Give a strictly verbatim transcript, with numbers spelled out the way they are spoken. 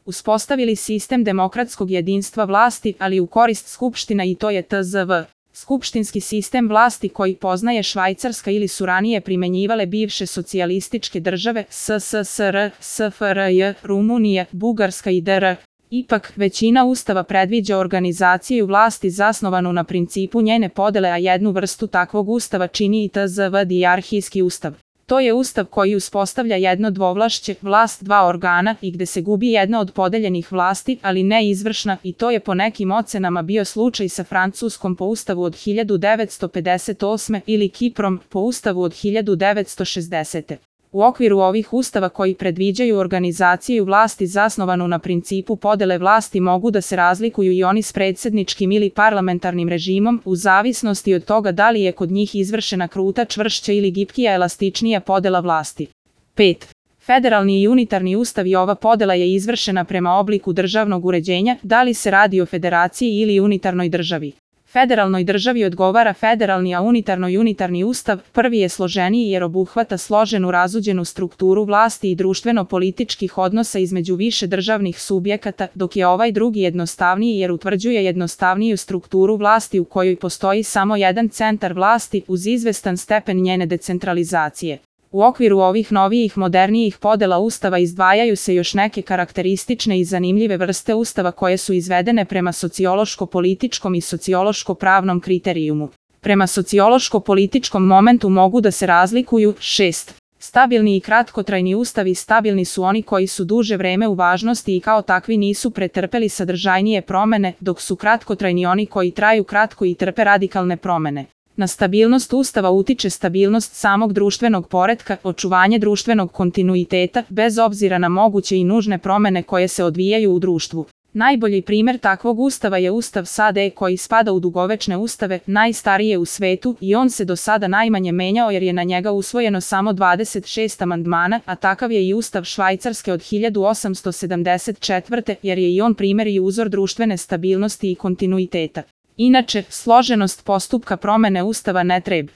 uspostavili sistem demokratskog jedinstva vlasti, ali u korist skupština i to je T Z V. Skupštinski sistem vlasti koji poznaje Švajcarska ili su ranije primenjivale bivše socijalističke države S S S R, S F R J, Rumunija, Bugarska i D R. Ipak, većina ustava predviđa organizaciju vlasti zasnovanu na principu njene podele, a jednu vrstu takvog ustava čini i T Z V dijarhijski ustav. To je ustav koji uspostavlja jedno dvovlašće, vlast dva organa i gde se gubi jedna od podeljenih vlasti, ali ne izvršna, i to je po nekim ocenama bio slučaj sa Francuskom po ustavu od hiljadu devetsto pedeset osme ili Kiprom po ustavu od hiljadu devetsto šezdesete. U okviru ovih ustava koji predviđaju organizaciju vlasti zasnovanu na principu podele vlasti mogu da se razlikuju i oni s predsjedničkim ili parlamentarnim režimom, u zavisnosti od toga da li je kod njih izvršena kruta, čvršća ili gipkija, elastičnija podela vlasti. pet. Federalni i unitarni ustav i ova podela je izvršena prema obliku državnog uređenja, da li se radi o federaciji ili unitarnoj državi. Federalnoj državi odgovara federalni, a unitarnoj unitarni ustav. Prvi je složeniji jer obuhvata složenu razuđenu strukturu vlasti i društveno-političkih odnosa između više državnih subjekata, dok je ovaj drugi jednostavniji jer utvrđuje jednostavniju strukturu vlasti u kojoj postoji samo jedan centar vlasti uz izvestan stepen njene decentralizacije. U okviru ovih novijih modernijih podela ustava izdvajaju se još neke karakteristične i zanimljive vrste ustava koje su izvedene prema sociološko-političkom i sociološko-pravnom kriterijumu. Prema sociološko-političkom momentu mogu da se razlikuju šest. Stabilni i kratkotrajni ustavi. Stabilni su oni koji su duže vreme u važnosti i kao takvi nisu pretrpeli sadržajnije promene, dok su kratkotrajni oni koji traju kratko i trpe radikalne promene. Na stabilnost ustava utiče stabilnost samog društvenog poretka, očuvanje društvenog kontinuiteta, bez obzira na moguće i nužne promene koje se odvijaju u društvu. Najbolji primjer takvog ustava je Ustav S A D koji spada u dugovečne ustave, najstarije u svetu, i on se do sada najmanje menjao jer je na njega usvojeno samo dvadeset šest amandmana, a takav je i Ustav Švajcarske od hiljadu osamsto sedamdeset četvrte jer je i on primjer i uzor društvene stabilnosti i kontinuiteta. Inače, složenost postupka promene ustava ne treba